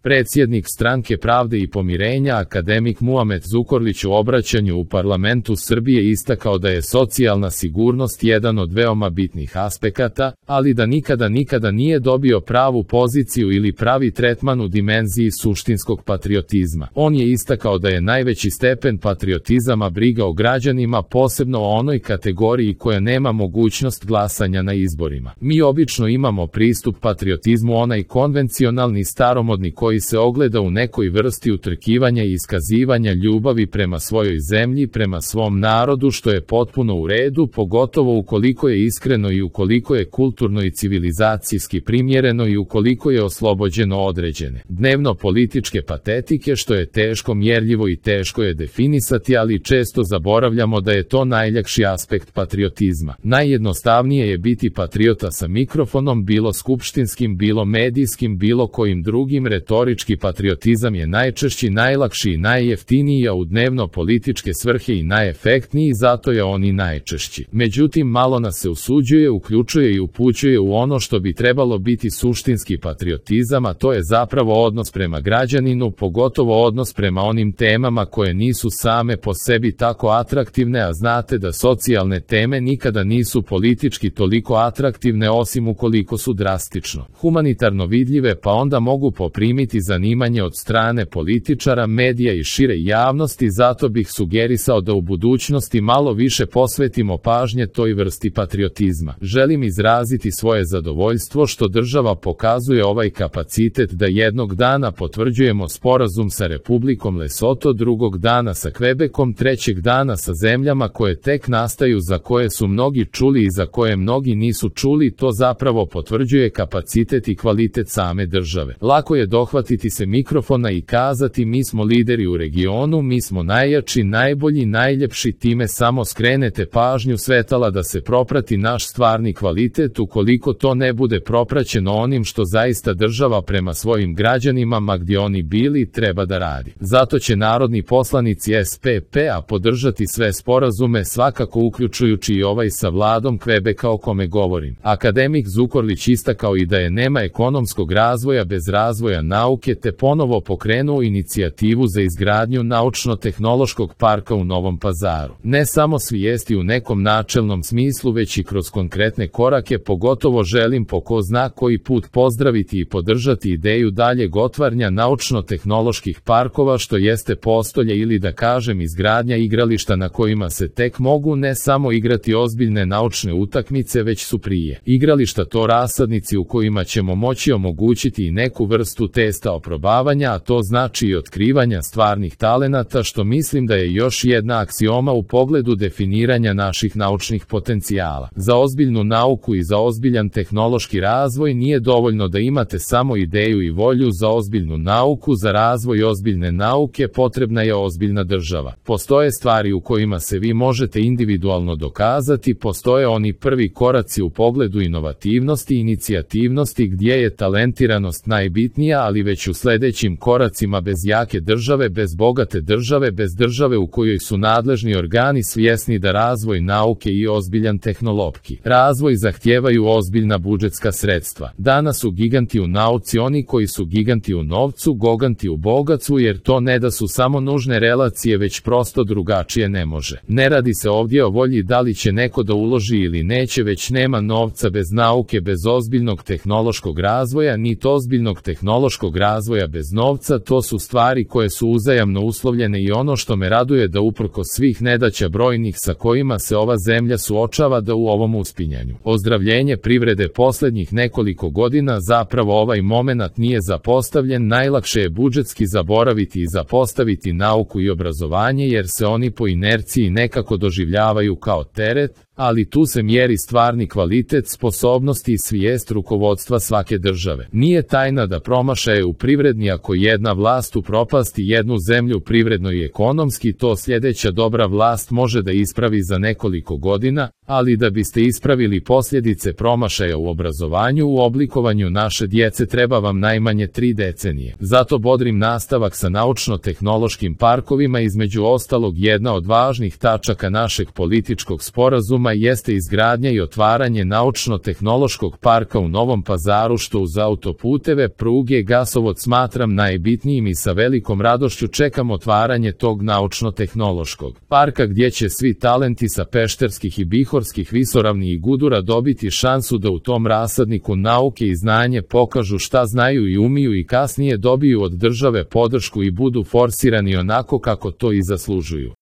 Predsjednik Stranke pravde i pomirenja akademik Muamet Zukorlić u obraćanju u parlamentu Srbije istakao da je socijalna sigurnost jedan od veoma bitnih aspekata, ali da nikada nije dobio pravu poziciju ili pravi tretman u dimenziji suštinskog patriotizma. On je istakao da je najveći stepen patriotizama briga o građanima, posebno o onoj kategoriji koja nema mogućnost glasanja na izborima. Mi obično imamo pristup patriotizmu onaj konvencionalni staromodni koji se ogleda u nekoj vrsti utrkivanja i iskazivanja ljubavi prema svojoj zemlji, prema svom narodu, što je potpuno u redu, pogotovo ukoliko je iskreno i ukoliko je kulturno i civilizacijski primjereno i ukoliko je oslobođeno određene dnevno političke patetike, što je teško mjerljivo i teško je definisati, ali često zaboravljamo da je to najljakši aspekt patriotizma. Najjednostavnije je biti patriota sa mikrofonom, bilo skupštinskim, bilo medijskim, bilo kojim drugim. Retorički patriotizam je najčešći, najlakši i najjeftiniji, a u dnevno političke svrhe i najefektniji, zato je on i najčešći. Međutim, malo nas se usuđuje, uključuje i upućuje u ono što bi trebalo biti suštinski patriotizam, a to je zapravo odnos prema građaninu, pogotovo odnos prema onim temama koje nisu same po sebi tako atraktivne, a znate da socijalne teme nikada nisu politički toliko atraktivne osim ukoliko su drastično humanitarno vidljive, pa onda mogu poprimiti zanimanje od strane političara, medija i šire javnosti. Zato bih sugerisao da u budućnosti malo više posvetimo pažnje toj vrsti patriotizma. Želim izraziti svoje zadovoljstvo što država pokazuje ovaj kapacitet da jednog dana potvrđujemo sporazum sa Republikom Lesoto, drugog dana sa Kvebekom, trećeg dana sa zemljama koje tek nastaju, za koje su mnogi čuli i za koje mnogi nisu čuli. To zapravo potvrđuje kapacitet i kvalitet same države. Lako je dohvatiti se mikrofona i kazati mi smo lideri u regionu, mi smo najjači, najbolji, najljepši, time samo skrenete pažnju svetala da se proprati naš stvarni kvalitet, ukoliko to ne bude propraćeno onim što zaista država prema svojim građanima, ma gdje oni bili, treba da radi. Zato će narodni poslanici SPP-a podržati sve sporazume, svakako uključujući i ovaj sa vladom Kvebeka o kome govorim. Akademik Zukorlić istakao i da je nema ekonomskog razvoja bez razvoja nauke, te ponovo pokrenuo inicijativu za izgradnju naučno-tehnološkog parka u Novom Pazaru. Ne samo svijesti u nekom načelnom smislu, već i kroz konkretne korake. Pogotovo želim po ko zna koji put pozdraviti i podržati ideju daljeg otvaranja naučno-tehnoloških parkova, što jeste postolje ili da kažem izgradnja igrališta na kojima se tek mogu ne samo igrati ozbiljne naučne utakmice, već su prije igrališta to rasadnici u kojima ćemo moći omogućiti i neku vrstu testa oprobavanja, a to znači i otkrivanja stvarnih talenata, što mislim da je još jedna aksioma u pogledu definiranja naših naučnih potencijala. Za ozbiljnu nauku i za ozbiljan tehnološki razvoj nije dovoljno da imate samo ideju i volju. Za ozbiljnu nauku, za razvoj ozbiljne nauke potrebna je ozbiljna država. Postoje stvari u kojima se vi možete individualno dokazati, postoje oni prvi koraci u pogledu inovativnosti i inicijativnosti gdje je talentiranost najbitnija, ali već u sljedećim koracima bez jake države, bez bogate države, bez države u kojoj su nadležni organi svjesni da razvoj nauke i ozbiljan tehnološki razvoj zahtijevaju ozbiljna budžetska sredstva. Danas su giganti u nauci oni koji su giganti u novcu, giganti u bogatstvu, jer to ne da su samo nužne relacije, već prosto drugačije ne može. Ne radi se ovdje o volji da li će neko da uloži ili neće, već nema novca bez nauke, bez ozbiljnog tehnološkog razvoja, niti ozbiljnog tehnološkog razvoja bez novca. To su stvari koje su uzajamno uslovljene i ono što me raduje da uprkos svih nedaća brojnih sa kojima se ova zemlja suočava, da u ovom uspinjanju ozdravljenje privrede posljednjih nekoliko godina zapravo ovaj momenat nije zapostavljen. Najlakše je budžetski zaboraviti i zapostaviti nauku i obrazovanje, jer se oni po inerciji nekako doživljavaju kao teret, ali tu se mjeri stvarni kvalitet, sposobnosti i svijest rukovodstva svake države. Nije tajna da promašaje u privredni, ako jedna vlast upropasti jednu zemlju privredno i ekonomski, to sljedeća dobra vlast može da ispravi za nekoliko godina, ali da biste ispravili posljedice promašaja u obrazovanju, u oblikovanju naše djece, treba vam najmanje 3 decenije. Zato bodrim nastavak sa naučno-tehnološkim parkovima, između ostalog jedna od važnih tačaka našeg političkog sporazuma kriterijuma jeste izgradnja i otvaranje naučno-tehnološkog parka u Novom Pazaru, što uz autoputeve, pruge, gasovod smatram najbitnijim i sa velikom radošću čekam otvaranje tog naučno-tehnološkog parka gdje će svi talenti sa pešterskih i bihorskih visoravni i gudura dobiti šansu da u tom rasadniku nauke i znanje pokažu šta znaju i umiju i kasnije dobiju od države podršku i budu forsirani onako kako to i zaslužuju.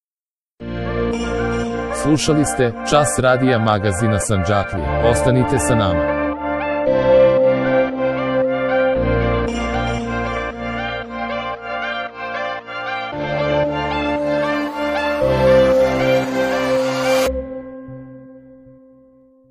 Slušali ste Čas radija magazina Sandžaklija. Ostanite sa nama.